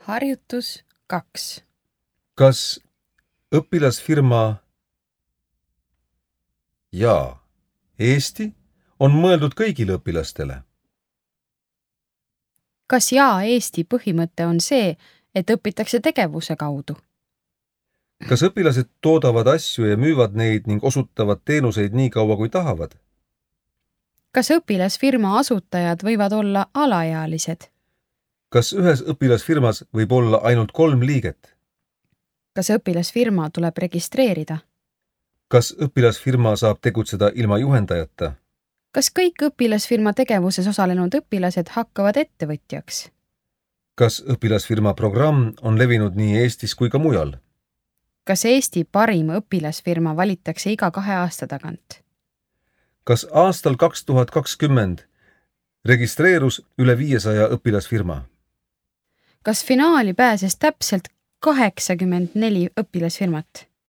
Harjutus 2. Kas õpilasfirma Jaa, Eesti on mõeldud kõigile õpilastele? Kas Jaa Eesti põhimõte on see, et õpitakse tegevuse kaudu? Kas õpilased toodavad asju ja müüvad neid ning osutavad teenuseid nii kaua kui tahavad? Kas õpilasfirma asutajad võivad olla alaealised? Kas ühes õpilasfirmas võib olla ainult 3 liiget? Kas õpilasfirma tuleb registreerida? Kas õpilasfirma saab tegutseda ilma juhendajata? Kas kõik õpilasfirma tegevuses osalenud õpilased hakkavad ettevõtjaks? Kas õpilasfirma programm on levinud nii Eestis kui ka mujal? Kas Eesti parim õpilasfirma valitakse iga 2 aasta tagant? Kas aastal 2020 registreerus üle 500 õpilasfirma? Kas finaali pääses täpselt 84 õpilasfirmat?